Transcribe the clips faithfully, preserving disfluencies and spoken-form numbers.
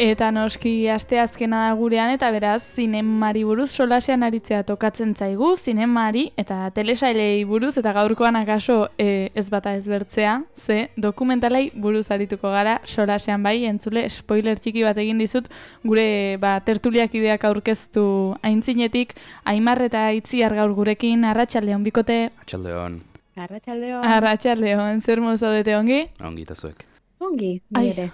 eta noski asteazkena da gurean, eta beraz, zinemari buruz solasean aritzea tokatzen zaigu, zinemari eta telesailei buruz, eta gaurkoan akaso e, ez bata ezbertzea, ze dokumentalei buruz arituko gara, solasean bai, entzule, spoiler txiki bat egin dizut, gure ba, tertuliak ideak aurkeztu aintzinetik, Aimar eta Itziar gaur gurekin, arratsaldeon bikote. Arratsaldeon. Arratsaldeon. Arratsaldeon, zer modu zaudete ongi? Ongi eta zuek. Ongi, ni ere.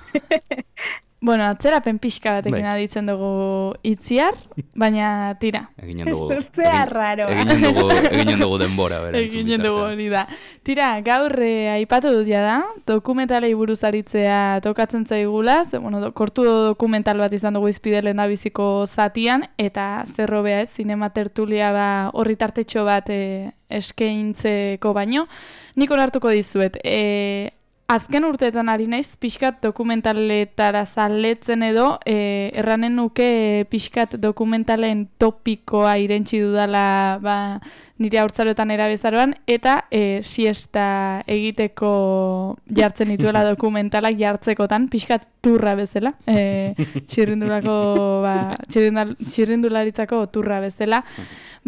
Bueno, atzerapen pixka batekin Bai. aditzen dugu Itziar, baina tira. Eginen dugu. Zuzea raro. Eginen dugu, eginen dugu denbora, bera. Eginen dugu hori da. Tira, gaur eh, aipatu dut ja da, dokumentalei buruz aritzea tokatzen zaigula, ze, bueno, do, kortu dokumental bat izan dugu izpide lehendabiziko zatian, eta zerrobea ez, zinema tertulia ba, horri tartetxo bat eh, eskaintzeko baino. Nik onartuko dizuet, eh, azken urteetan ari naiz, pixkat dokumentaletara zaletzen edo, e, erranen nuke pixkat dokumentalen topikoa irentsi dudala ba, nire haurtzaroetan erabezaroan, eta e, siesta egiteko jartzen dituela dokumentalak jartzekotan, pixkat turra bezala, e, txirrindulako, ba, txirrindul, txirrindularitzako turra bezala.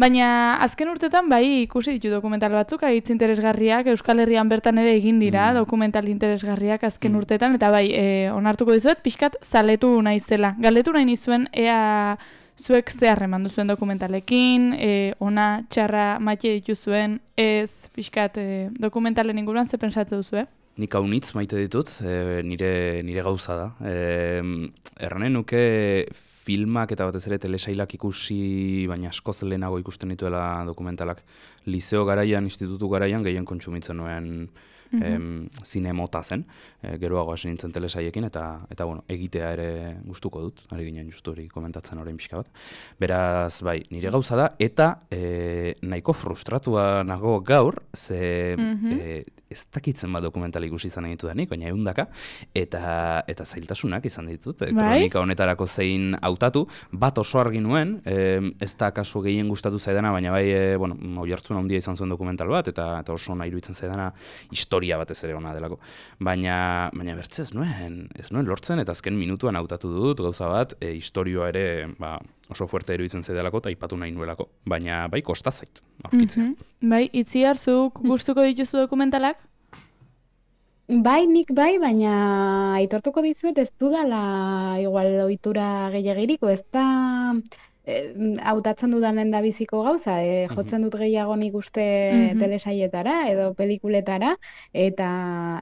Baina azken urtetan bai ikusi ditu dokumental batzuk, hitz interesgarriak, Euskal Herrian bertan ere egin dira, mm. dokumental interesgarriak azken mm. urtetan, eta bai, e, onartuko dizuet, pixkat zaletu naizela. Galdetu nahi nizuen, ea zuek ze harreman duzuen dokumentalekin, e, ona, txarra, maite dituzuen, ez pixkat e, dokumentalen inguruan ze pensatze duzue? Nik haunitz maite ditut, e, nire, nire gauza da. E, erranen nuke filmak eta batez ere telesailak ikusi, baina askoz lehenago ikusten dituela dokumentalak. Liceo garaian, institutu garaian, gehien kontsumitzen nuen mm-hmm. em, zinemota zen, e, geroago hasi nintzen telesaiekin, eta, eta bueno, egitea ere gustuko dut, ari ginen justu hori komentatzen orain pixka bat. Beraz, bai, nire gauza da, eta e, nahiko frustratua nago gaur, ze mm-hmm. e, ez dakitzen bat dokumental ikusi izan ditu denik, baina eundaka, eta, eta zailtasunak izan ditut, e, kronika honetarako zein hautatu, bat oso argi nuen, e, ez da kasu gehien gustatu zaidana, baina bai, e, bueno, oihartzun handia izan zuen dokumental bat, eta, eta oso nahi iruditzen zaidana historia batez ere ona delako. Baina, baina bertze ez nuen, ez nuen lortzen, eta azken minutuan hautatu dut, gauza bat, e, historioa ere, ba, oso fuerte iruditzen zaidalako, eta ipatu nahi nuelako. Baina, bai, kosta zait, aurkitzea. Mm-hmm. Bai, Itziar, zuk gustuko dituzu dokumentalak? Bai, nik bai, baina aitortuko dizuet ez dudala igual ohitura gehiagiriko, ez da hautatzen dudan lehendabiziko gauza, e, jotzen dut gehiago nik uste mm-hmm. telesailetara edo pelikuletara, eta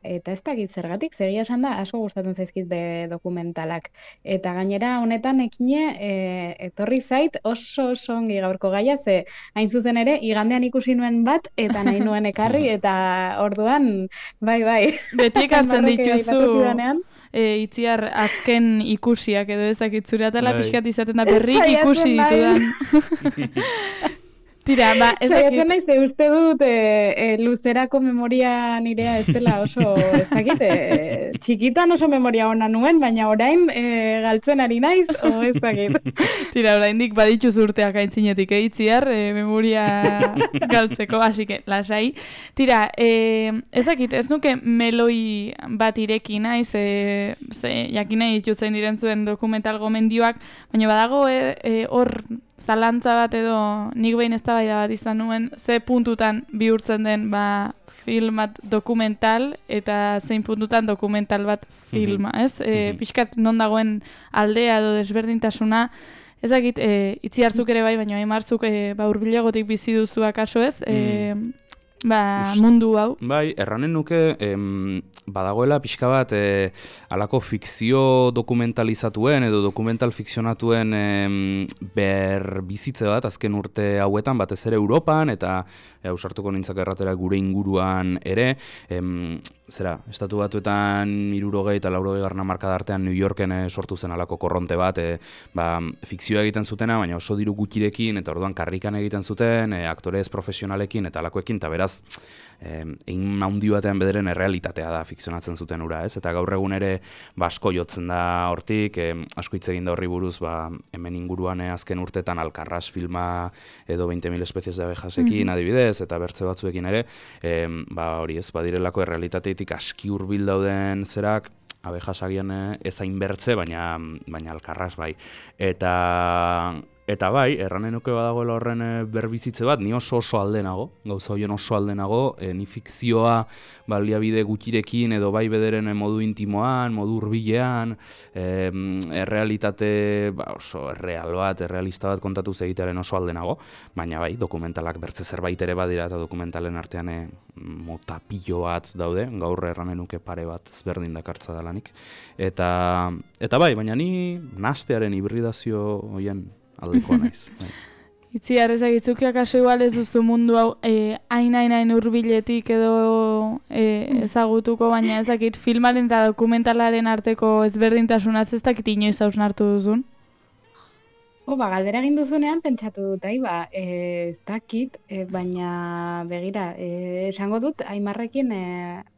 eta ez dakit zergatik, zegia esan da, asko gustatzen zaizkit be dokumentalak. Eta gainera honetan ekine e, etorri zait oso oso ongi gaurko gaia, ze hain zuzen ere, igandean ikusi nuen bat, eta nahi nuen ekarri, eta orduan, bai, bai. Beti ekartzen dituzu... E, Itziar azken ikusiak edo ezakit zure atala pixkat izaten da berrik ikusi ditudan. Tira, ba, ezakit. Saiatzen naiz, uste dut e, e, luzerako memoria nirea ez dela oso, ezakit, e, txikitan oso memoria ona nuen, baina orain e, galtzen ari naiz, o ezakit. Tira, oraindik badituz urteak aintzinetik, eh, Itziar, e, memoria galtzeko, hasike, lasai. Tira, e, ezakit, ez nuke meloi bat ireki naiz, e, ze, jakin nahi dituzen diren zuen dokumental gomendioak, baina badago hor e, e, zalantza bat edo nik behin eztabaida bat izan nuen, ze puntutan bihurtzen den ba, film bat dokumental eta zein puntutan dokumental bat filma, ez? E, pixkat non dagoen aldea edo desberdintasuna, ezakit, e, Itziarzuk ere bai, baina Aimarzuk e, ba, hurbilagotik bizi duzu akaso, ez? E, ba, mundu hau. Bai, erranen nuke, em, badagoela pixka bat e, alako fikzio dokumentalizatuen edo dokumental fikzionatuen em, ber bizitze bat azken urte hauetan, batez ere Europan, eta e, ausartuko nintzak erratera gure inguruan ere, em, zera, estatu batuetan hirurogei eta laurogei garna marka artean New Yorken e, sortu zen alako korronte bat, e, ba, fikzioa egiten zutena, baina oso diru gutxirekin, eta orduan karrikan egiten zuten, e, aktorez profesionalekin eta alakoekin, eta beraz, egin handi batean bederen errealitatea da fikzionatzen zuten ura, ez? Eta gaur egun ere ba, asko jotzen da hortik, e, asko hitz egin da horri buruz, ba, hemen inguruan e, azken urtetan Alcarràs filma edo veinte mil especies de abejasekin mm-hmm. adibidez, eta bertze batzuekin ere, e, ba, hori ez, badirelako errealitateetik aski hurbil dauden zerak, abejas agian ezain bertze, baina, baina alkarraz bai. Eta, eta bai, erranen nuke badagoela horren berbizitze bat, ni oso oso aldenago, gauza horien oso aldenago, e, ni fikzioa baliabide gutxirekin edo bai bederen modu intimoan, modu hurbilean, e, errealitate ba, oso erreal bat, errealista bat kontatu egitearen oso aldenago, baina bai, dokumentalak bertze zerbait ere badira eta dokumentalen artean e, mota pilo bat daude, gaur erranen nuke pare bat ezberdin dakartza dalanik. Eta, eta bai, baina ni nastearen hibridazio hoien aldekoa naiz. Itzi, arrezagitzukiak aso igual ez duzu mundu hau hain-hain-hain hurbiletik edo e, ezagutuko, baina ezakit filmaren eta dokumentalaren arteko ezberdintasunaz ez dakit inoiz hausnartu duzun? O, ba, galdera egin duzunean pentsatu dut, ba, e, ez dakit, e, baina begira, e, esango dut, Aimarrekin e,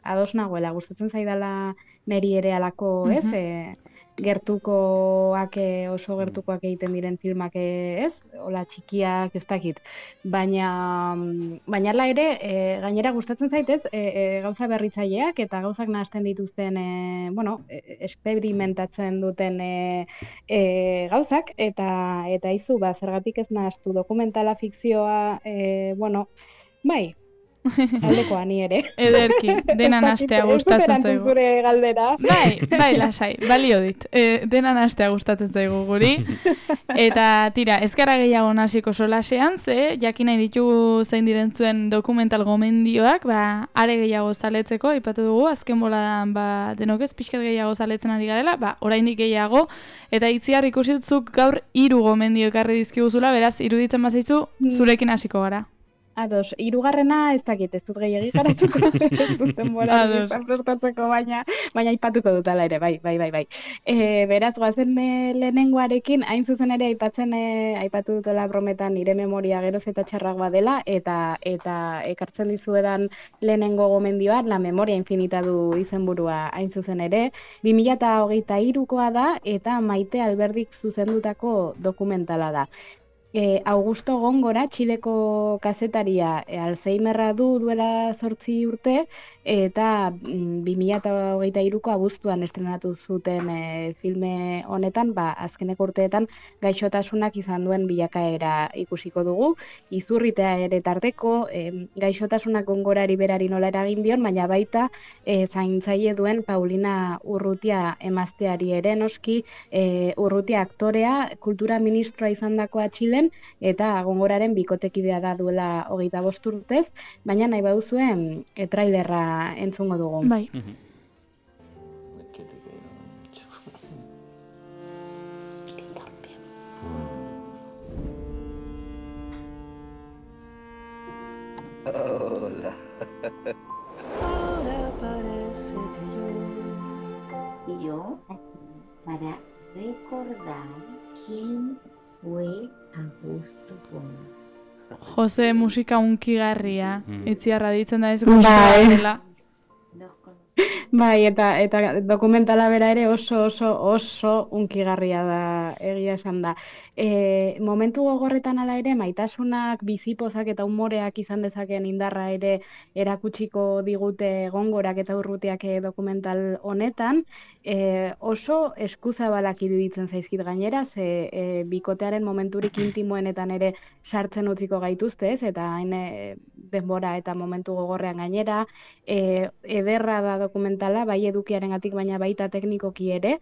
ados nagoela, gustatzen zaidala neri ere alako, ez, e, gertukoak, oso gertukoak egiten diren filmak, ez, hola txikiak, ez dakit, baina, baina ala ere, e, gainera gustatzen zaitez, e, e, gauza berritzaileak eta gauzak nahasten dituzten, e, bueno, e, experimentatzen duten e, e, gauzak, eta eta izu, ba, zergatik ez nahastu dokumentala, fikzioa, e, bueno, bai, aldekoa ni ere. Ederki, dena nahastea gustatzen zaigu. Ez dut zure galdera. Bai, bai, lasai, balio dit. E, dena nahastea gustatzen zaigu guri. Eta tira, ez gara gehiago nahasiko solasean, ze jakin nahi ditugu zein direntzuen dokumental gomendioak, ba, are gehiago zaletzeko, aipatu dugu, azken boladan, ba, denok ez pixkat gehiago zaletzen ari garela, ba, oraindik gehiago, eta Itziar ikusi dutzuk gaur hiru gomendio ekarri dizkiguzula, beraz, iruditzen bazaizu, zurekin hasiko gara. Ados, hirugarrena ez dakit, ez dut gehiagi garatuko, ez dut denbora izan prestatzeko, baina, baina aipatuko dut ala ere, bai, bai, bai, bai. E, beraz, goazen e, lehenengoarekin, hain zuzen ere aipatzen, e, aipatu dutela brometan nire memoria geroz eta txarragoa dela, eta eta ekartzen dizuedan lehenengo gomendioa, La memoria infinita du izenburua hain zuzen ere, bi mila hogeita hirukoa da, eta Maite Alberdik zuzendutako dokumentala da. E, Augusto Góngora, Txileko kazetaria, e, Alzheimerra du duela zortzi urte, eta bi mila hogeita hiruko abuztuan estrenatu zuten e, filme honetan, ba, azkeneko urteetan gaixotasunak izan duen bilakaera ikusiko dugu, izurritea ere tarteko, e, gaixotasunak Góngorari berari nola eragin dion, baina baita e, zaintzaile duen Paulina Urrutia emazteari ere noski, e, Urrutia aktorea, kultura ministroa izandakoa Txilen, eta Góngoraren bikotekidea da duela hogeita bost urtez, baina nahi baduzuen e, trailerra entzungo dugu. Bai. Hola. Ahora parece que yo... Yo aquí para recordar quién fue Augusto Góngora. Jose musika unkigarria, Mm. Itziarra ditzen da ez guztua dela. Los conocí. Bai, eta eta dokumentala bera ere oso oso oso unkigarria da, egia esan da. E, momentu gogorretan hala ere, maitasunak, bizipozak eta umoreak izan dezakeen indarra ere erakutsiko digute Góngorak eta Urrutiak dokumental honetan, e, oso eskuzabalak iruditzen zaizkit gainera, ze e, bikotearen momenturik intimoenetan ere sartzen utziko gaituzte, ez? Eta hain e, denbora eta momentu gogorrean gainera, e, ederra da dokumentala, bai edukiarengatik baina baita teknikoki ere,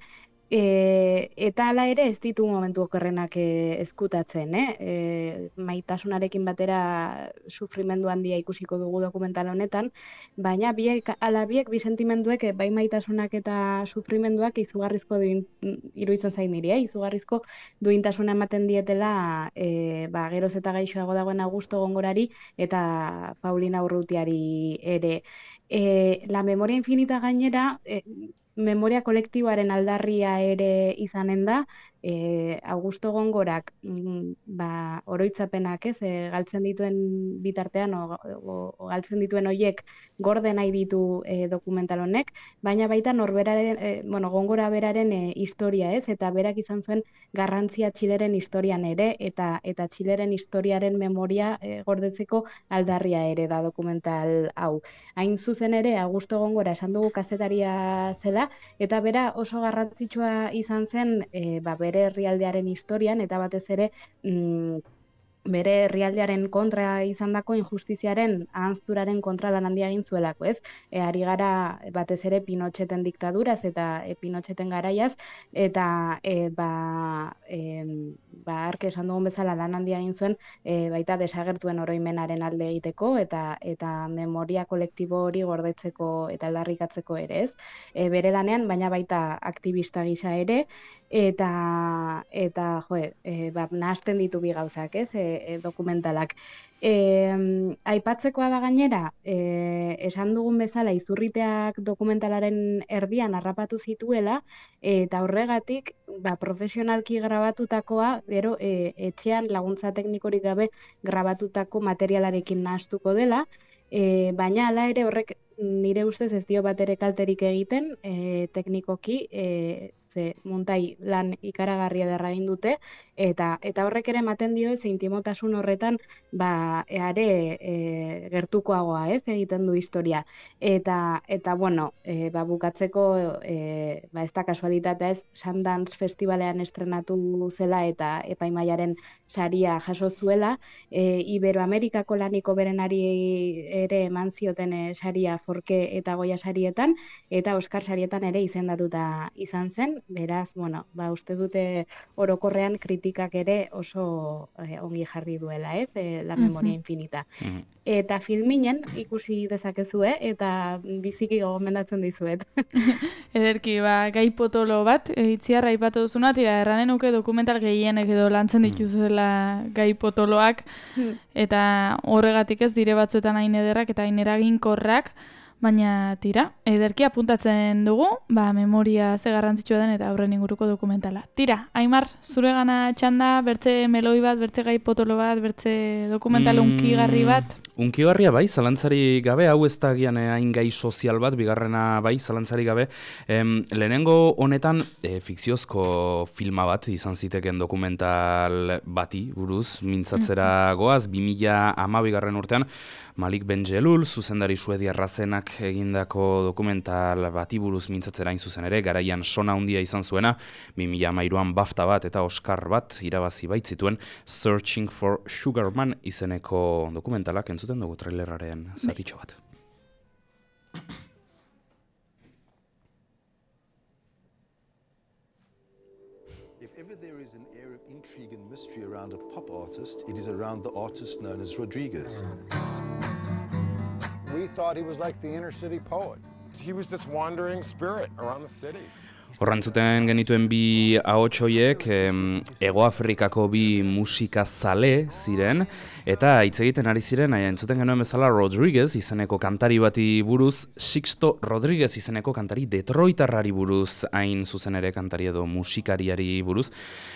e, eta hala ere ez ditu momentu okerrenak e, ezkutatzen, eh? E, maitasunarekin batera sufrimendu handia ikusiko dugu dokumental honetan, baina biek, ala biek bi sentimenduek, bai maitasunak eta sufrimenduak izugarrizko duin, iruditzen zain niri, eh? Izugarrizko duintasuna ematen dietela e, ba, geroz eta gaixoago dagoen Augusto Góngorari eta Paulina Urrutiari ere. E, La memoria infinita gainera, e, memoria kolektiboaren aldarria ere izanen da, e, Augusto Góngorak mm, ba, oroitzapenak ez, e, galtzen dituen bitartean, o, o, o galtzen dituen hoiek gorde nahi ditu e, dokumental honek, baina baita norberaren, e, bueno, Góngora beraren e, historia ez, eta berak izan zuen garrantzia Txileren historian ere, eta eta Txileren historiaren memoria e, gordetzeko aldarria ere da dokumental hau. Hain zuzen ere, Augusto Góngora esan dugu kazetaria zela, dela, eta bera oso garrantzitsua izan zen e, ba, bere herrialdearen historian, eta batez ere mm, bere herrialdearen kontra izandako injustiziaren ahanzturaren kontra lan handia egin zuelako, ez? E, ari gara batez ere Pinocheten diktaduraz eta e, Pinocheten garaiaz, eta e, ba, e, ba ark esan dugun bezala lan handia egin zuen e, baita desagertuen oroimenaren alde egiteko eta eta memoria kolektibo hori gordetzeko eta aldarrikatzeko ere, ez? E, bere lanean, baina baita aktivista gisa ere, eta eta jo, e, ba, nahasten ditu bi gauzak, ez? E, e, dokumentalak. E, aipatzekoa da gainera, e, esan dugun bezala izurriteak dokumentalaren erdian harrapatu zituela, eta horregatik ba, profesionalki grabatutakoa, gero e, etxean laguntza teknikorik gabe grabatutako materialarekin nahastuko dela, e, baina hala ere horrek nire ustez ez dio bat ere kalterik egiten, e, teknikoki, e, ze muntai lan ikaragarria derra egin dute, eta eta horrek ere ematen dio ez intimotasun horretan ba eare e, gertukoagoa, ez, egiten du historia. Eta eta bueno, e, ba bukatzeko e, ba ez da kasualitatea, ez, Sundance Festivalean estrenatu zela eta epaimaiaren saria jaso zuela, e, Iberoamerikako laniko berenari ere eman zioten e, saria Forke eta Goya sarietan, eta Oscar sarietan ere izendatuta izan zen. Beraz, bueno, ba, uste dute orokorrean kritikak ere oso eh, ongi jarri duela, ez, e, La Memoria Infinita. Mm-hmm. Eta filminen ikusi dezakezue, eta biziki gomendatzen dizuet. Ederki, ba, gai potolo bat, itziarra aipatu duzuna, tira, erranen nuke dokumental gehienek edo lantzen dituzela gai potoloak, eta horregatik ez dire batzuetan hain ederrak eta hain eraginkorrak, baina tira, ederki apuntatzen dugu, ba, memoria ze garrantzitsua den eta horren inguruko dokumentala. Tira, Aimar, zure gana txanda, bertze meloi bat, bertze gai potolo bat, bertze dokumental mm, unkigarri bat? Unkigarria bai, zalantzari gabe, hau ez da gian hain gai sozial bat, bigarrena bai, zalantzari gabe. Em, lehenengo honetan, e, fikziozko filma bat izan ziteken dokumental bati buruz, mintzatzera goaz, bi mila hamabigarren urtean, Malik Benjelul, zuzendari suediarra zenak egindako dokumental bati buruz mintzatzera hain zuzen ere, garaian sona handia izan zuena, bi mila hamairuan BAFTA bat eta Oscar bat irabazi baitzituen Searching for Sugar Man izeneko dokumentalak entzuten dugu traileraren zatitxo bat. If ever there is an air of intrigue and mystery around a pop artist, it is around the artist known as Rodriguez. We thought he was like the inner city poet. He was this wandering spirit around the city. Horrantzuten genituen bi ahotsoiek Hego Afrikako bi musikazale ziren, eta hitz egiten ari ziren, aia entzuten genuen bezala Rodriguez izeneko kantari bati buruz, Sixto Rodriguez izeneko kantari detroitarrari buruz, hain zuzen ere kantari edo musikariari buruz,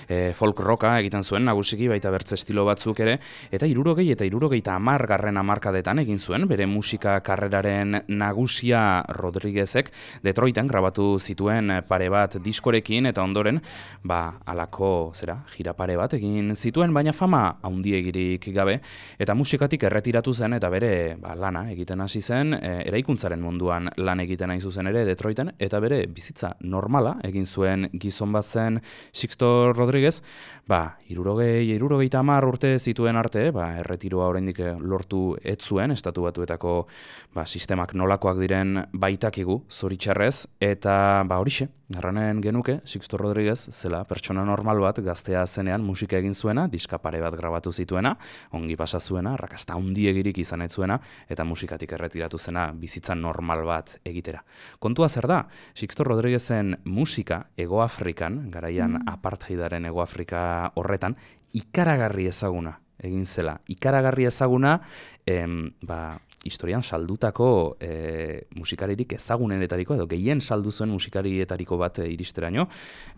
e, folk rocka egiten zuen, nagusiki baita bertze estilo batzuk ere, eta hirurogei eta hirurogeita hamar garren hamarkadetan egin zuen, bere musika karreraren nagusia Rodriguezek Detroiten grabatu zituen pare bat diskorekin eta ondoren ba halako zera gira pare bat egin zituen, baina fama handiegirik gabe eta musikatik erretiratu zen eta bere ba, lana egiten hasi zen, e, eraikuntzaren munduan lan egiten hain zuzen ere Detroiten, eta bere bizitza normala egin zuen gizon bat zen Sixto Rodriguez, ba hirurogei hirurogeita hamar urte zituen arte, ba erretiroa oraindik lortu ez zuen, estatu batuetako ba sistemak nolakoak diren baitakigu zoritxarrez, eta ba horixe erranen genuke, Sixto Rodriguez zela pertsona normal bat, gaztea zenean musika egin zuena, diska pare bat grabatu zituena, ongi pasa zuena, rakasta handiegirik izan ez zuena, eta musikatik erretiratu zena bizitza normal bat egitera. Kontua zer da, Sixto Rodriguezen musika Hego Afrikan, garaian mm. apartheidaren Hego Afrika horretan, ikaragarri ezaguna egin zela. Ikaragarri ezaguna, em, ba, historian saldutako e, musikaririk ezagunenetariko edo gehien saldu zuen musikarietariko bat e, iristeraino,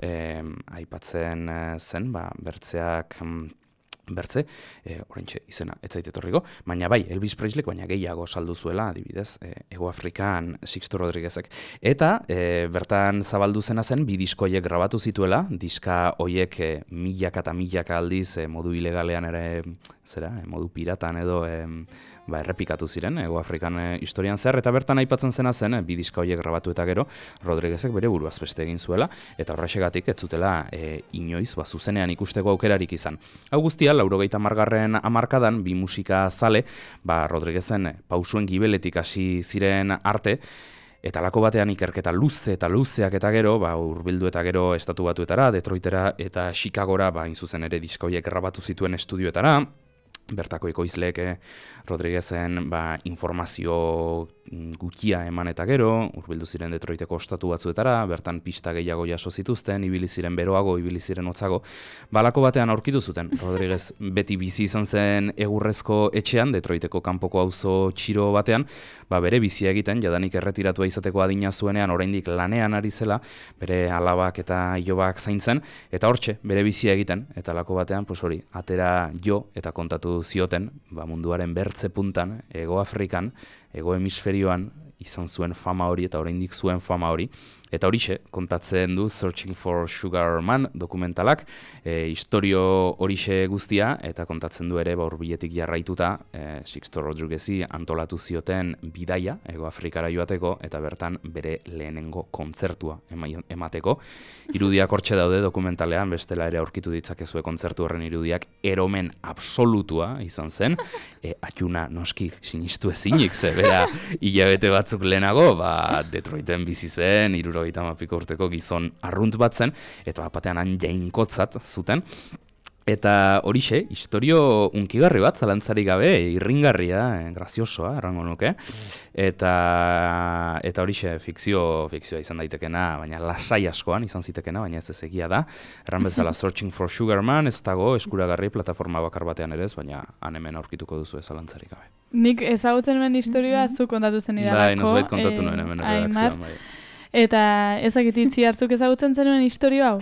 e, aipatzen e, zen, ba, bertzeak bertze, e, orentxe izena ez zait etorriko, baina bai, Elvis Presleyk baina gehiago saldu zuela, adibidez, e, Hego Afrikan Sixto Rodriguezek. Eta e, bertan zabaldu zena zen, bi disko hoiek grabatu zituela, diska hoiek e, milaka eta milaka aldiz e, modu ilegalean ere, zera, e, modu piratan edo, e, ba, errepikatu ziren, Ego Afrikan e, historian zehar, eta bertan aipatzen zena zen, e, bi diska horiek grabatu eta gero, Rodriguezek bere buruaz beste egin zuela, eta horrexegatik ez zutela e, inoiz, ba, zuzenean ikusteko aukerarik izan. Hau guztia, laurogeita hamargarren hamarkadan, bi musika zale, ba, Rodriguezen pausuen gibeletik hasi ziren arte, eta lako batean ikerketa luze eta luzeak eta gero, ba, hurbildu eta gero estatu batuetara, Detroitera eta Chicagora, ba, inzuzen ere disko horiek grabatu zituen estudioetara, bertako ekoizleek Rodriguezen ba, informazio gutxia eman eta gero, hurbildu ziren Detroiteko ostatu batzuetara, bertan pista gehiago jaso zituzten, ibili ziren beroago, ibili ziren hotzago. Balako batean aurkitu zuten, Rodriguez beti bizi izan zen egurrezko etxean, Detroiteko kanpoko auzo txiro batean, ba, bere bizia egiten, jadanik erretiratua izateko adina zuenean, oraindik lanean ari zela, bere alabak eta ilobak zaintzen, eta hortxe, bere bizia egiten, eta lako batean, pues hori, atera jo eta kontatu zioten, ba, munduaren bertze puntan, Ego Afrikan, Ego hemisferioan izan zuen fama hori eta oraindik zuen fama hori. Eta horixe, kontatzen du Searching for Sugar Man dokumentalak, e, historio horixe guztia, eta kontatzen du ere ba, hurbiletik jarraituta, e, Sixto Rodriguezi antolatu zioten bidaia, Ego Afrikara joateko, eta bertan bere lehenengo kontzertua emateko. Irudiak hortxe daude dokumentalean, bestela ere aurkitu ditzakezue kontzertu horren irudiak, eromen absolutua izan zen, e, atxuna noski sinistu ezinik, ze bera hilabete batzuk lehenago, ba, Detroiten bizi zen, hirurogeita hamapiko urteko gizon arrunt bat zen, eta bapatean han jainkotzat zuten. Eta horixe, historio unkigarri bat, zalantzarik gabe, irringarria, eh, graziosoa, errango nuke. Eta, eta horixe, fikzio, fikzioa izan daitekena, baina lasai askoan izan zitekena, baina ez ez egia da. Erran bezala Searching for Sugar Man, ez dago eskuragarri plataforma bakar batean ere ez, baina han hemen aurkituko duzu zalantzarik gabe. Nik ezagutzen nuen historioa zu kontatu zen idalako. Bai, nozbait kontatu nuen hemen redakzioan. Bai. Eta ezakit itzi hartzuk ezagutzen zenuen historio hau?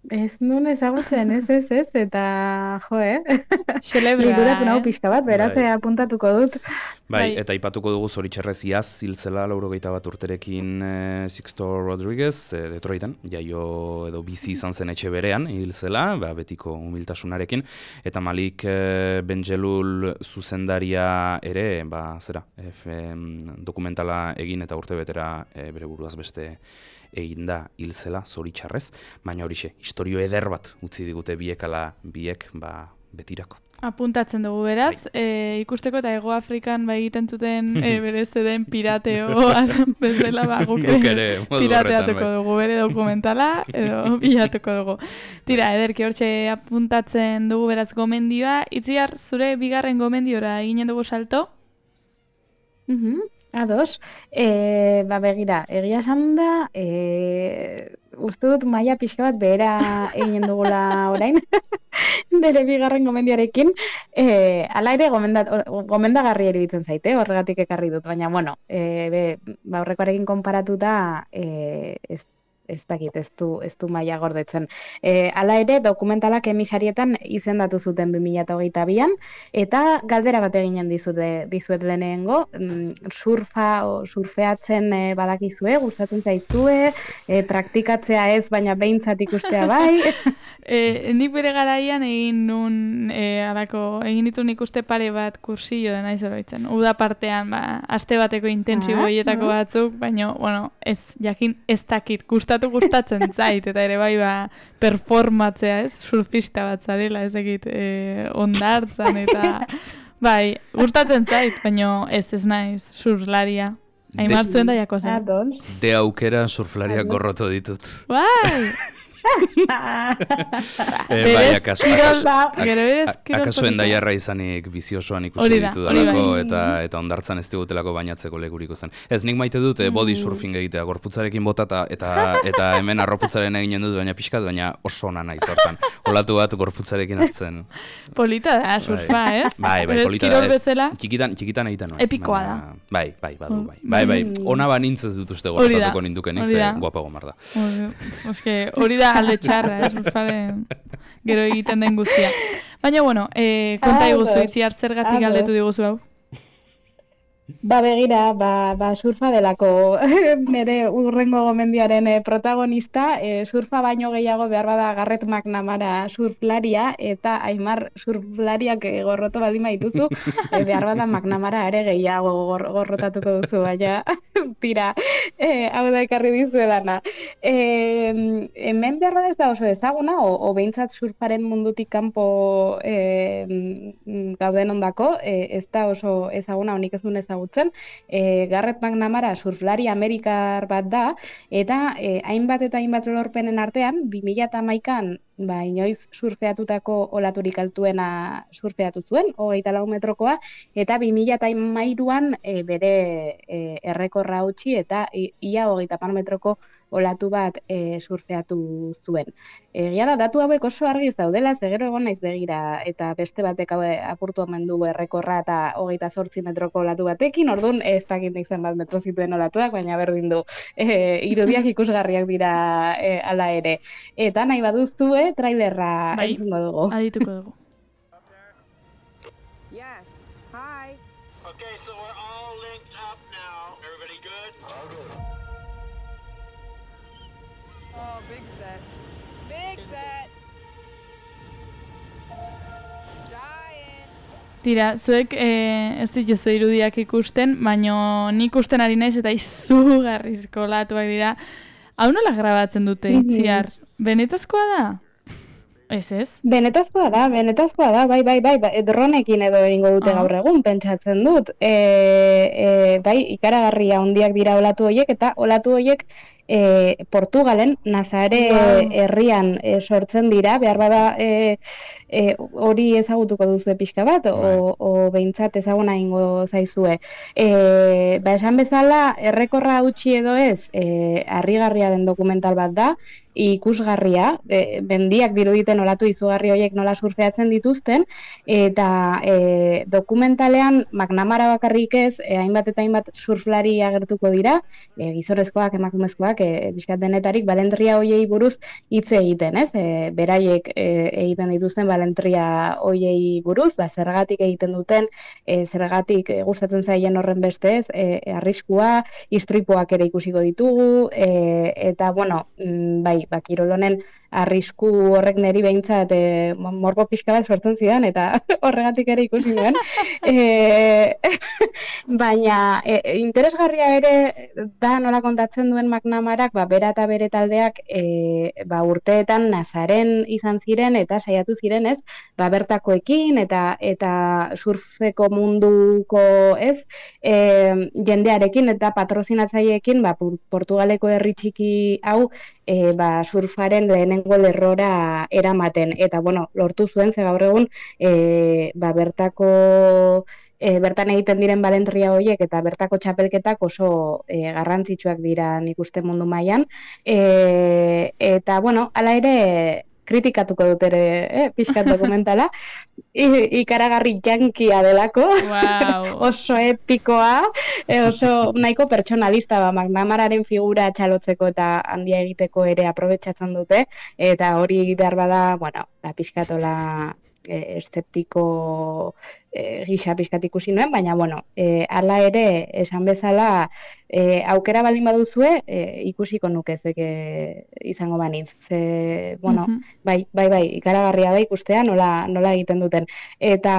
Ez nun ezagutzen, ez, ez, ez, eta jo, eh? Xelebra, Liguratu nahu eh? pixka bat, beraz, Bai. apuntatuko dut. Bai, eta aipatuko dugu zoritxarrez iaz, ziltzela laurogeita bat urterekin e, Sixto Rodriguez, e, Detroiten, jaio edo bizi izan zen etxe berean, hil zela, ba, betiko humiltasunarekin, eta Malik e, Benjelul zuzendaria ere, ba, zera, F, dokumentala egin eta urte betera e, bere buruaz beste egin da hil zela, zoritxarrez, baina horixe, historio eder bat utzi digute biek ala biek, ba, betirako. Apuntatzen dugu beraz, e, ikusteko eta Ego Afrikan ba egiten zuten e, berez den pirateo bezala ba guk ere pirateatuko bai. Dugu bere dokumentala edo bilatuko dugu. Tira, ederki hortxe apuntatzen dugu beraz gomendioa. Itziar, zure bigarren gomendiora eginen dugu salto? Mhm. Ados, e, ba begira, egia esan da, e, uste dut maila pixka bat behera eginen dugula orain, nire bigarren gomendiarekin, e, ala ere gomendat, gomendagarri eribitzen zaite, horregatik ekarri dut, baina, bueno, e, be, ba, horrekoarekin konparatuta, e, ez ez dakit, ez du, ez du maila gordetzen. E, hala ere, dokumentalak emisarietan izendatu zuten bi mila hogeita bian, eta galdera bat eginen dizute, dizuet lehenengo, surfa o surfeatzen e, badakizue, gustatzen zaizue, e, praktikatzea ez, baina behintzat ikustea bai. e, nik bere garaian egin nun, e, alako, egin ditun ikuste pare bat kursillo dena izoroitzen. Uda partean, ba, aste bateko intentsibo hietako ah, batzuk, baina, bueno, ez, jakin ez dakit, gustatu gustatzen zait, eta ere bai ba, performatzea, ez? Surfista bat zarela, ez egit, e, ondartzan, eta bai, gustatzen zait, baina ez ez naiz surflaria. Aimar zuen da jako zen. De aukera surflariak gorroto ditut. Bai! eh, bai, akaso, akaso, akaso endaiarra izanik biziosoan ikusi ditu dalako, eta, eta ondartzan ez digutelako bainatzeko lekurik zen. Ez, nik maite dut eh, body surfing egitea, gorputzarekin botata, eta, eta hemen arroputzaren eginen dut, baina pixkat, baina oso ona naiz hortan. Olatu bat gorputzarekin hartzen. Polita da, surfa, ez? Bai, bai, polita da, ez. Txikitan, txikitan egiten nuen. Epikoa da. Bai, bai, badu, bai. Bai, bai, ona banintz ez dut uste gortatuko nindukenik, ze guapago mar da. Hori da alde txarra, ez, surfaren gero egiten den guztia. Baina, bueno, eh, konta iguzu, Itziar, zergatik galdetu diguzu hau? Ba begira, ba, ba surfa delako nire urrengo gomendioaren eh, protagonista, eh, surfa baino gehiago behar bada Garrett McNamara surflaria, eta Aimar surflariak eh, gorroto baldin badituzu, eh, behar bada McNamara ere gehiago gor, gorrotatuko duzu, baina tira, eh, hau da ekarri dizuedana. Eh, hemen behar bada ez da oso ezaguna, o, o behintzat surfaren mundutik kanpo eh, gauden ondako, eh, ez da oso ezaguna, honik ez duen ezagutzen. E, Garrett McNamara surflari amerikar bat da, eta e, hainbat eta hainbat lorpenen artean, bi mila hamaikan ba, inoiz surfeatutako olaturik altuena surfeatu zuen, hogeita lau metrokoa, eta bi mila hamairuan e, bere e, errekorra utzi eta i, ia hogeita hamar metroko olatu bat e, surfeatu zuen. Egia da, datu hauek oso argi ez daudela, ze gero egon naiz begira, eta beste batek hau apurtu omen du errekorra eta hogeita zortzi metroko olatu batekin, orduan ez dakit nik zenbat metro zituen olatuak, baina berdin du e, irudiak ikusgarriak dira e, ala ere. Eta nahi baduzue, trailerra bai, entzungo dugu. adituko dugu. Yes. Hi. Okay, so we're all linked up now. Everybody good? All good. Oh, big set. Big set. Giant. Tira, zuek eh, ez dituzu irudiak ikusten, baino nik ikusten ari naiz eta izugarrizko olatuak dira. Hau nola grabatzen dute itziar? Benetazkoa da? Ez ez? Benetazkoa da, benetazkoa da, bai, bai, bai, bai, dronekin edo egingo dute Ah. gaur egun, pentsatzen dut. E, e, bai, ikaragarria handiak dira olatu horiek, eta olatu horiek e, Portugalen, Nazare Wow. herrian e, sortzen dira, behar bada e, e, hori ezagutuko duzu pixka bat, o, o behintzat ezaguna ingo zaizue. E, ba, esan bezala, errekorra utzi edo ez, e, harrigarria den dokumental bat da, ikusgarria, e, bendiak diruditen olatu izugarri horiek nola surfeatzen dituzten, eta e, dokumentalean McNamara bakarrik ez, e, hainbat eta hainbat surflari agertuko dira, e, gizonezkoak, emakumezkoak, e, bizkat denetarik balentria hoiei buruz hitz egiten, ez? E, beraiek e, egiten dituzten balentria hoiei buruz, ba, zergatik egiten duten, e, zergatik e, gustatzen zaien horren beste ez, e, arriskua, istripuak ere ikusiko ditugu, e, eta, bueno, mm, bai, ba, kirol honen arrisku horrek neri behintzat e, morbo pixka bat sortzen zidan, eta horregatik ere ikusi nuen. e, baina e, interesgarria ere da nola kontatzen duen McNamarak, ba, bera eta bere taldeak e, ba, urteetan Nazaren izan ziren eta saiatu ziren ez, ba, bertakoekin eta eta surfeko munduko ez, e, jendearekin eta patrozinatzaileekin ba, Portugaleko herri txiki hau e, ba, surfaren lehenengo lerrora eramaten. Eta, bueno, lortu zuen, ze gaur egun, e, ba, bertako, e, bertan egiten diren balentria horiek eta bertako txapelketak oso e, garrantzitsuak dira nik uste mundu mailan. E, eta, bueno, hala ere, kritikatuko dut ere, eh, pixkat dokumentala, I, ikaragarri jankia delako, Wow. oso epikoa, e, oso nahiko pertsonalista, ba, McNamararen figura txalotzeko eta handia egiteko ere aprobetxatzen dute, eta hori behar bada, bueno, da pixkatola e, eszeptiko e, gisa pixkat ikusi nuen, baina, bueno, e, hala ere, esan bezala, e, aukera baldin baduzue, e, ikusiko nuke zeke izango banintz. Ze, bueno, Mhm. bai, bai, bai, ikaragarria da ikustea nola, nola egiten duten. Eta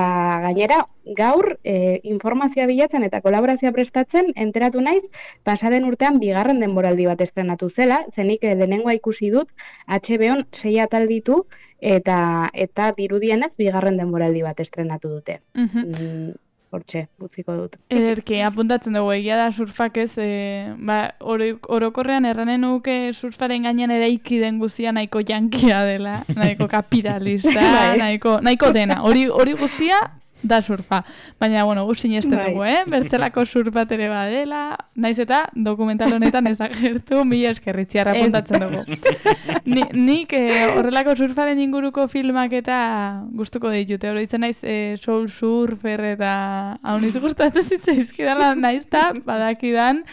gainera, gaur e, informazioa bilatzen eta kolaborazioa prestatzen enteratu naiz, pasaden urtean bigarren denboraldi bat estrenatu zela, zenik e, lehenengoa ikusi dut, H B O'n sei atal ditu, eta eta dirudienez bigarren denboraldi bat estrenatu dute. Mhm. Mm, hortxe, utziko dut. Ederki, apuntatzen dugu, egia da surfak ez, e, ba, oro, orokorrean erranen nuke surfaren gainean eraiki den guztia nahiko jankia dela, nahiko kapitalista, Bai. nahiko, nahiko dena, hori hori guztia da surfa. Baina, bueno, gu sinesten Bai. dugu, eh? Bertzelako surf bat ere badela, naiz eta dokumental honetan ezagertu, mila eskerritziarra Ez. apuntatzen dugu. Ni, nik eh, horrelako surfaren inguruko filmak eta gustuko ditute. Oroitzen naiz eh, Soul Surfer eta hauniz gustatzen zitzaizkidala naiz eta badakidan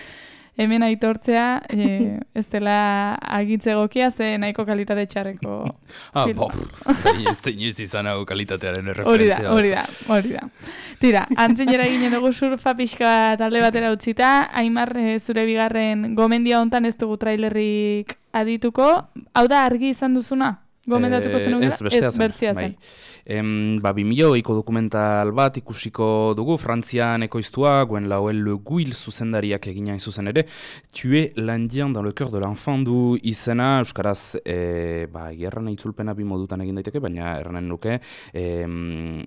hemen aitortzea e, ez dela agitze egokia ze nahiko kalitate txarreko ah, filma. Ez da inoiz izan hau kalitatearen Hori da, erreferentzia. hori da, hori da. Tira, antzinera ginen dugu surfa pixka talde batera utzita, Aimar, e, zure bigarren gomendia hontan ez dugu trailerrik adituko. Hau da argi izan duzuna? Gomendatuko zen Ez, bestea zen. bertzia zen. Bai. Em, ba, bi mila hogeiko dokumental bat ikusiko dugu, Frantzian ekoiztua, Gwen Lauel Le Guil zuzendariak egina hain zuzen ere, Tuer l'Indien dans le cœur de l'enfant du izena, euskaraz, e, ba, gerran itzulpena bi modutan egin daiteke, baina erranen nuke, em,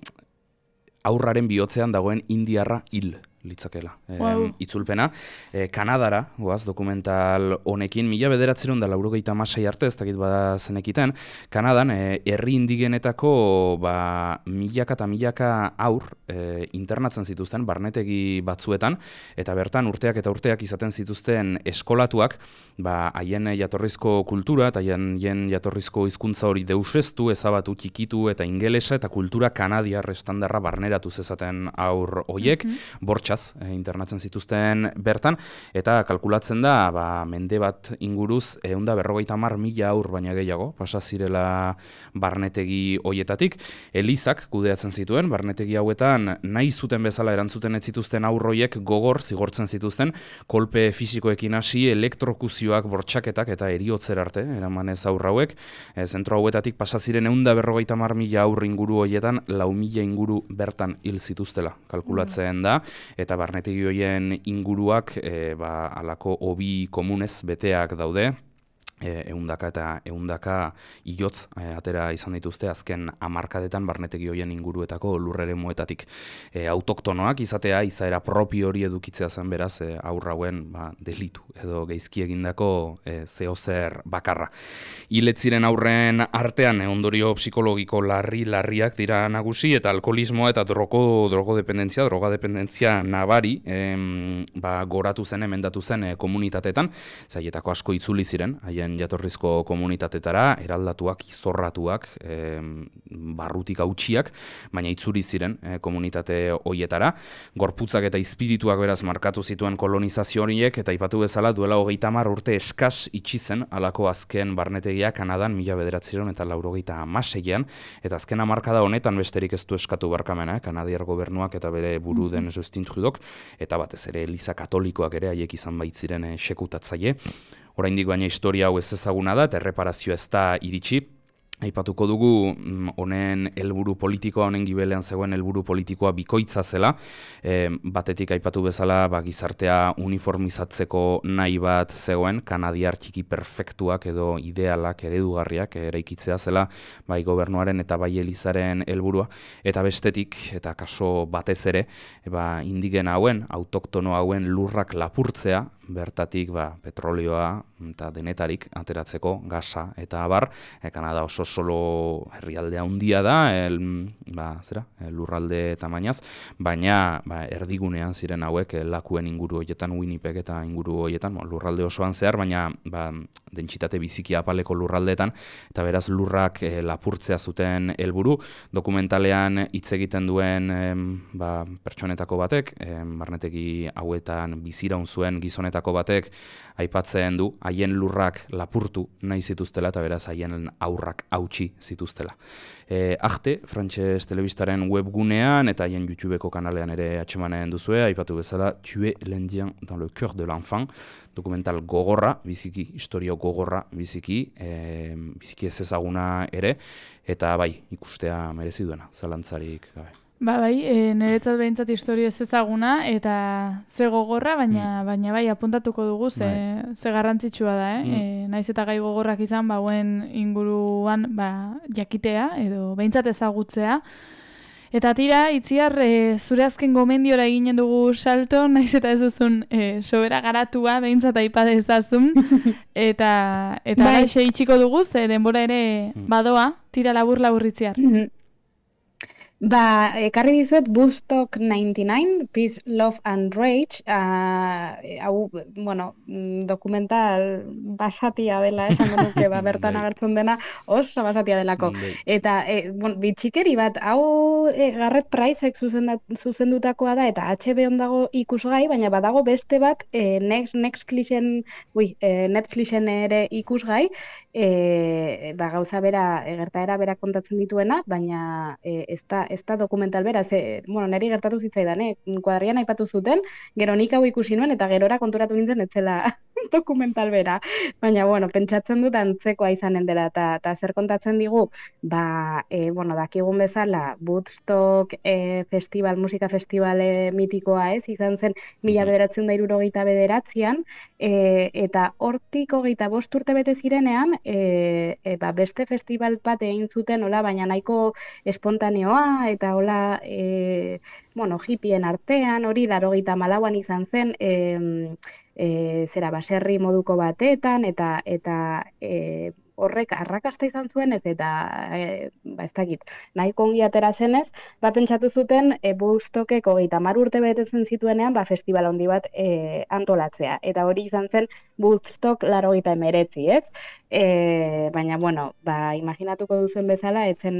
aurraren bihotzean dagoen indiarra hil litzakela. Wow. E, itzulpena. E, Kanadara, goaz, dokumental honekin, mila bederatzeron da laurogeita hamasei arte, ez dakit bada zenekiten, Kanadan, e, herri indigenetako ba, milaka eta milaka aur e, internatzen zituzten, barnetegi batzuetan, eta bertan urteak eta urteak izaten zituzten eskolatuak, ba, haien jatorrizko kultura, eta haien jatorrizko hizkuntza hori deusestu, ezabatu, txikitu, eta ingelesa, eta kultura kanadiar estandarra barneratu zezaten aur hoiek, mm-hmm. bortxa internatzen zituzten bertan, eta kalkulatzen da, ba, mende bat inguruz, ehun eta berrogeita hamar mila aur baina gehiago, pasa zirela barnetegi hoietatik. Elizak kudeatzen zituen, barnetegi hauetan nahi zuten bezala erantzuten ez zituzten aur hoiek gogor zigortzen zituzten, kolpe fisikoekin hasi, elektrokuzioak, bortxaketak eta eriotzer arte, eramanez aur hauek, e, zentro hauetatik pasa ziren ehun eta berrogeita hamar mila aur inguru hoietan, lau mila inguru bertan hil zituztela, kalkulatzen da, eta barnetegi horien inguruak e, ba, alako hobi komunez beteak daude, ehundaka eta ehundaka ilotz e, atera izan dituzte azken hamarkadetan barnetegi horien inguruetako lurreremuetatik. E, autoktonoak izatea, izaera propio hori edukitzea zen beraz, e, aurrauen ba, delitu edo geizki egindako e, zeozer bakarra. Hiletziren aurren artean e, ondorio psikologiko larri-larriak dira nagusi, eta alkoholismoa eta drogo, drogodependentzia, drogadependentzia nabari em, ba, goratu zen, emendatu zen e, komunitatetan, zaietako asko itzuli ziren, haien jatorrizko komunitatetara, eraldatuak, izorratuak, e, barrutik hautsiak, baina itzuri ziren e, komunitate hoietara. Gorputzak eta izpirituak beraz markatu zituen kolonizazio horiek, eta ipatu bezala duela hogeita hamar urte eskas itxi zen alako azken barnetegia Kanadan mila bederatziehun eta laurogeita hamaseian, eta azken hamarkada honetan besterik ez du eskatu barkamena, eh? Kanadiar gobernuak eta bere buru den Justin Trudeauk, eta batez ere Eliza Katolikoak ere haiek izan baitziren e, sekutatzaile. Oraindik baina historia hau ez ezaguna da, eta erreparazioa ez da iritsi. Aipatuko dugu honen helburu politikoa, honen gibelean zegoen helburu politikoa bikoitza zela. E, batetik aipatu bezala ba, gizartea uniformizatzeko nahi bat zegoen, kanadiar txiki perfektuak edo idealak, eredugarriak eraikitzea zela bai gobernuaren eta bai Elizaren helburua. Eta bestetik, eta kaso batez ere, ba, indigena hauen, autoktono hauen lurrak lapurtzea, bertatik ba, petrolioa eta denetarik ateratzeko gasa eta abar. E, Kanada oso solo herrialdea handia da, el, ba, zera, lurralde tamainaz, baina ba, erdigunean ziren hauek lakuen inguru hoietan, Winnipeg eta inguru hoietan, bo, lurralde osoan zehar, baina ba, dentsitate biziki apaleko lurraldeetan, eta beraz lurrak e, lapurtzea zuten helburu. Dokumentalean hitz egiten duen e, ba, pertsonetako batek, e, barnetegi hauetan biziraun zuen gizonetako batek aipatzen du, haien lurrak lapurtu nahi zituztela, eta beraz haien aurrak hautsi zituztela. E, Arte, frantses telebistaren webgunean eta haien YouTubeko kanalean ere atsemanen duzue, aipatu bezala, Tuer l'Indien dans le cœur de l'enfant, dokumental gogorra, biziki, historio gogorra, biziki, e, biziki ez ezaguna ere, eta bai, ikustea merezi duena, zalantzarik gabe. Ba, bai, e, niretzat behintzat historio ez ezaguna, eta ze gogorra, baina, mm. baina bai, apuntatuko dugu, ze, bai. ze garrantzitsua da, eh? Mm. E, naiz eta gai gogorrak izan, bauen inguruan ba, jakitea, edo behintzat ezagutzea. Eta tira, Itziar, e, zure azken gomendiora eginen dugu salto, naiz eta ez duzun e, sobera garatua, behintzat aipade ezazun, eta, eta bai. Itxiko dugu, ze denbora ere badoa, tira labur-labur Itziar. Mm-hmm. Ba, ekarri dizuet Woodstock ninety-nine, Peace, Love and Rage, uh, hau, bueno, dokumental basatia dela, esango nuke, ba, bertan agertzen dena, oso basatia delako. Eta, e, bon, bitxikeri bat, hau e, Garrett Priceek zuzendutakoa da, eta H B O dago ikusgai, baina badago beste bat, e, Next, Netflixen, ui, e, Netflixen ere ikusgai, e, ba, gauza bera, e, gertaera bera kontatzen dituena, baina e, ez da ez da dokumental bera, ze, bueno, niri gertatu zitzaidan, eh? Kuadrian aipatu zuten, gero nik hau ikusi nuen, eta gerora konturatu nintzen etzela dokumental bera. Baina, bueno, pentsatzen dut antzekoa izanen dela, eta zer kontatzen digu, ba, e, bueno, dakigun bezala, Woodstock e, festival, musika festivale mitikoa ez, izan zen mila bederatzen da hirurogeita bederatzian, e, eta hortik hogeita bost urte bete zirenean, e, e, ba, beste festival bat egin zuten, hola, baina nahiko espontaneoa, eta hola, e, bueno, hippien artean, hori laurogeita hamalauan izan zen, e, e, zera baserri moduko batetan, eta eta e, horrek arrakasta izan zuen ez, eta e, ba ez dakit, nahiko ongi atera zenez, ba pentsatu zuten e, Woodstockek hogeita hamar urte betetzen zituenean, ba festival handi bat e, antolatzea, eta hori izan zen Woodstock laurogeita hemeretzi, ez? E, baina, bueno, ba, imaginatuko duzen bezala, etzen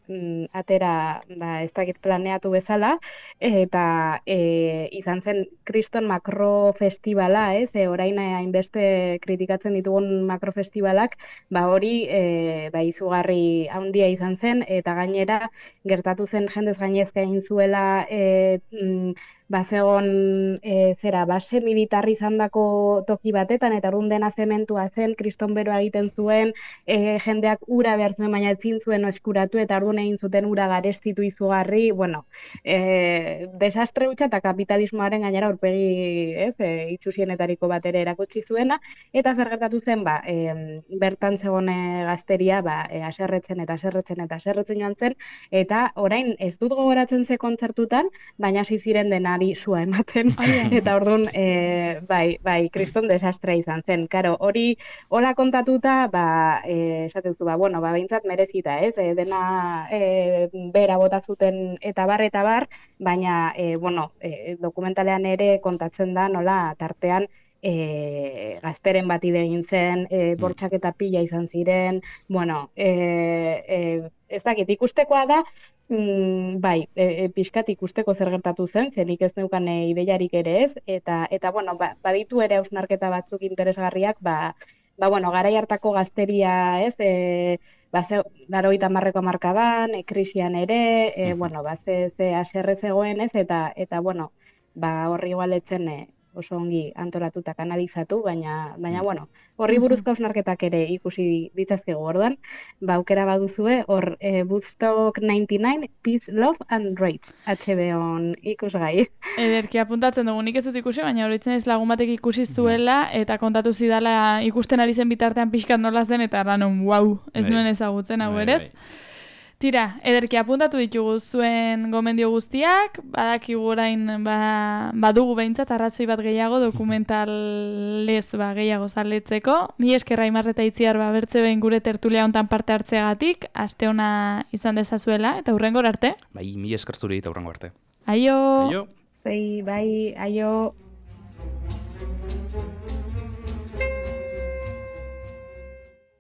mm, atera, ba, ez dakit planeatu bezala, eta e, izan zen kriston makro festivala, ez? E, orain hainbeste kritikatzen ditugun makro festivalak, ba, hori e, ba, izugarri handia izan zen, eta gainera gertatu zen jendez gainezka egin zuela e, mm, bazegon e, zera base militar izandako toki batetan, eta orduan dena zementua zen, kriston beroa egiten zuen, e, jendeak ura behar zuen, baina ezin zuen eskuratu, eta orduan egin zuten ura garestitu izugarri, bueno, e, desastre hutsa eta kapitalismoaren gainera aurpegi, ez, e, itxusienetariko bat ere erakutsi zuena, eta zer gertatu zen, ba, e, bertan zegoen gazteria, ba, e, aserretzen eta aserretzen eta aserretzen joan zen, eta orain ez dut gogoratzen ze kontzertutan, baina hasi ziren denari sua ematen, eta orduan, e, bai, bai, kriston desastre izan zen. Karo, hori, hola kontatuta, ba, e, esatezu, ba, bueno, ba, behintzat merezita, ez, e, dena e, bera bota zuten eta bar, eta bar, baina, e, bueno, e, dokumentalean ere kontatzen da, nola, tartean, E, gazteren bat egin zen, e, bortxak eta pila izan ziren, bueno, e, e, ez dakit, ikustekoa da, mm, bai, e, e, pixkat ikusteko zer gertatu zen, zenik ez neukan e, ideiarik ere ez, eta, eta bueno, ba, baditu ere hausnarketa batzuk interesgarriak, ba, ba, bueno, garai hartako gazteria, ez, e, ba, ze, laurogeita hamarreko hamarkadan, e, krisian ere, e, bueno, ba, ze, ze haserre zegoen, ez, eta, eta, bueno, ba, horri igualetzen, e, oso ongi antolatuta kanalizatu, baina, baina bueno, horri buruzko hausnarketak ere ikusi ditzazkegu orduan, ba, aukera baduzue, hor e, Woodstock ninety-nine, Peace, Love and Rage, H B O-n ikusgai. Ederki apuntatzen dugu, nik ez dut ikusi, baina horitzen ez lagun batek ikusi zuela, eta kontatu zidala ikusten ari zen bitartean pixkat nola zen, eta ranon, wow, ez nuen ezagutzen hau berez. Tira, ederki apuntatu ditugu zuen gomendio guztiak, badakigu orain ba, badugu behintzat arrazoi bat gehiago dokumentalez ba, gehiago zaletzeko. Mi eskerra Aimar eta Itziar ba, bertze behin gure tertulia hontan parte hartzeagatik, aste ona izan dezazuela, eta hurrengor arte. Bai, mi esker zuri eta hurrengo arte. Aio! Aio! Zei, bai, aio!